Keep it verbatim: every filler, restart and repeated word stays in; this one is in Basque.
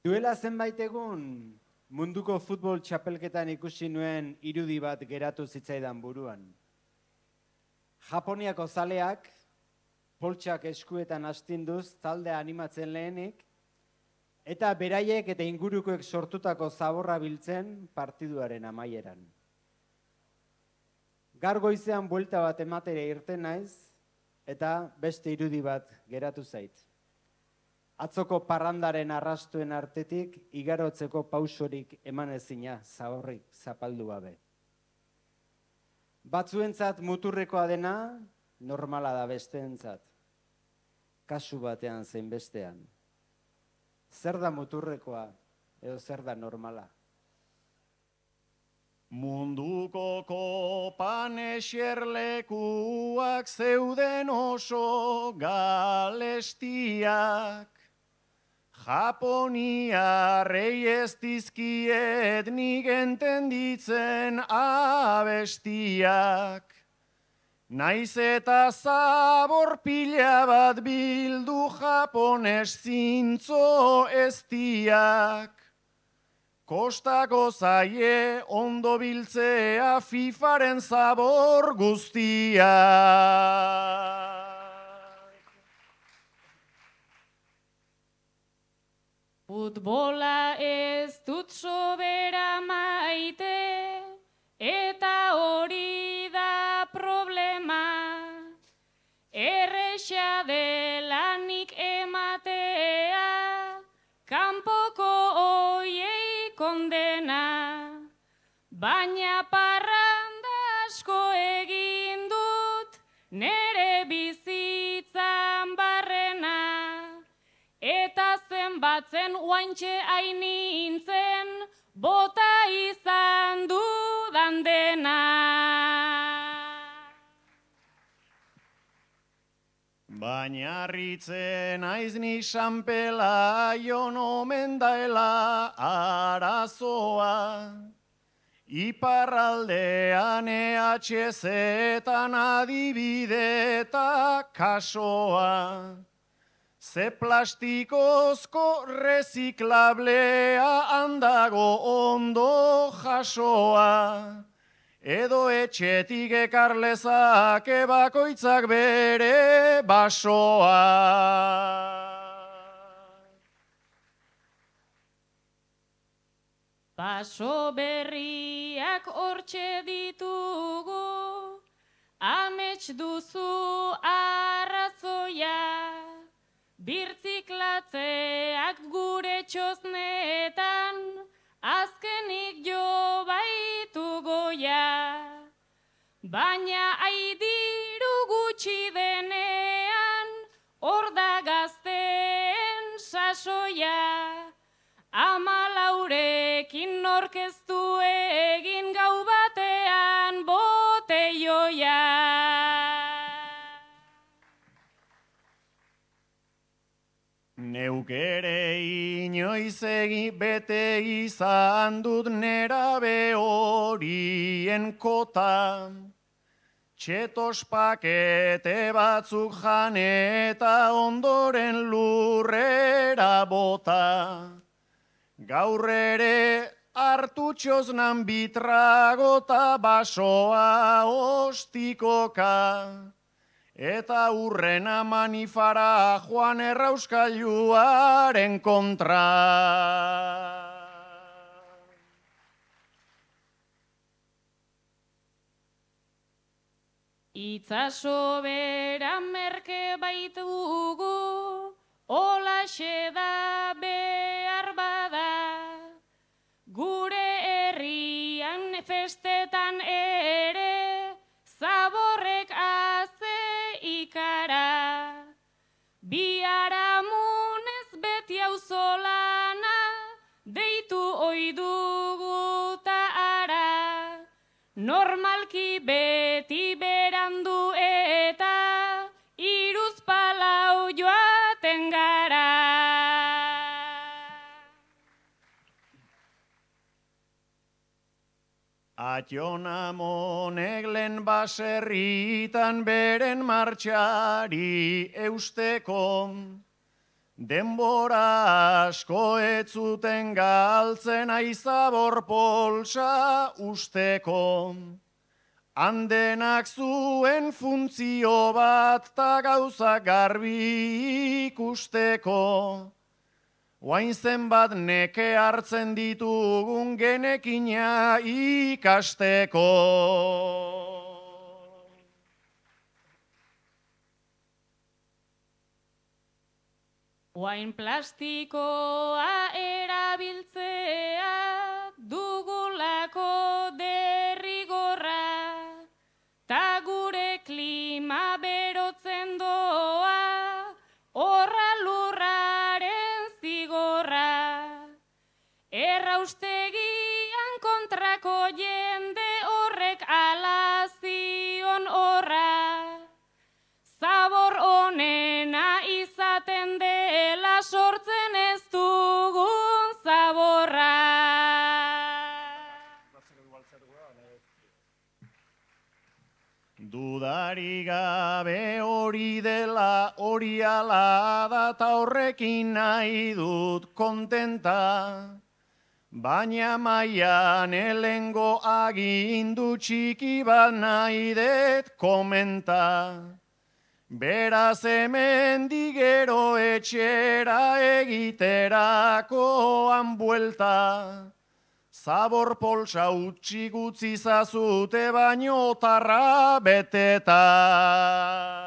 Duela zenbait egun munduko futbol txapelketan ikusi nuen irudi bat geratu zitzaidan buruan. Japoniako zaleak, poltsak eskuetan astinduz taldea animatzen lehenik, eta beraiek eta ingurukoek sortutako zaborra biltzen partiduaren amaieran. Gaur goizean buelta bat ematera irten naiz, eta beste irudi bat geratu zait. Atzoko parrandaren arrastuen artetik igarotzeko pausorik eman ezina zaborrik zapaldu gabe. Batzuentzat muturrekoa dena, normala da besteentzat. Kasu batean zein bestean. Zer da muturrekoa edo zer da normala? Munduko kopan eserlekuak zeuden oso galestiak. Japoniarrei ez dizkiet nik entenditzen abestiak. Naiz eta zabor pila bat bildu japones zintzo eztiak. Kostako zaie ondo biltzea fifaren zabor guztiak. Futbola ez dut sobera maite, eta hori da problema. Erresa dela nik ematea, kanpoko oiei kondena. Baina parranda asko egin dut, nere bizitzan barrena. Eta zenbatzen oaintxe ainintzen, bota izan dudan dena. Baina harritzen aiz ni San Pelaion omen daela arazoa. Iparraldean E H Z-etan adibideta kasoa. Ze plastikozko reziklablea handago ondo jasoa. Edo etxetik ekarlezake bakoitzak bere basoa. Baso berriak hortxe ditugu, amets duzu arrazoia. Birtziklatzeak gure txosnetan, azkenik jo baitu goia. Baina aidiru gutxi denean, hor da gazteen sasoia. Ama laurekin orkestu egin gau batean boteioia. Neuk ere inoiz egi bete izan dut nerabe horien kota. Txetos pakete batzuk jan eta ondoren lurrera bota. Gaur ere hartu txosnan bitragota basoa ostikoka. Eta urrena manifara joan errauskailuaren kontra. Itzaso bera merke baitugu, holaxe da behar bada. Gure herrian festetan ere, zaborrek aze ikara. Biharamunez beti auzolana, deitu oidugu ta ara. Normalki beti berandu eta iruz palau joaten gara. Atxonamonek lehen baserritan beren martxari eusteko. Denbora asko ez zuten galtzen aizabor poltsa usteko. Handenak zuen funtzio bat ta gauza garbi ikusteko. Oain zenbat neke hartzen ditugun genekina ikasteko. Oain plastikoa erabiltzea dugulako derrigorra, ta gure klima berotzen doa, horra lurraren zigorra. Erraustegian kontrako jende horrek alazion horra, zabor onena izaten dela sortzen ez dugun zaborra. Dudari gabe hori dela hori ala da ta horrekin nahi dut kontenta. Baina maian elengo agindu txiki bat nahi dut komenta. Beraz hemen digero etxera egiterakoan buelta. Zabor poltsa utxik utzi zazute baino tarra beteta.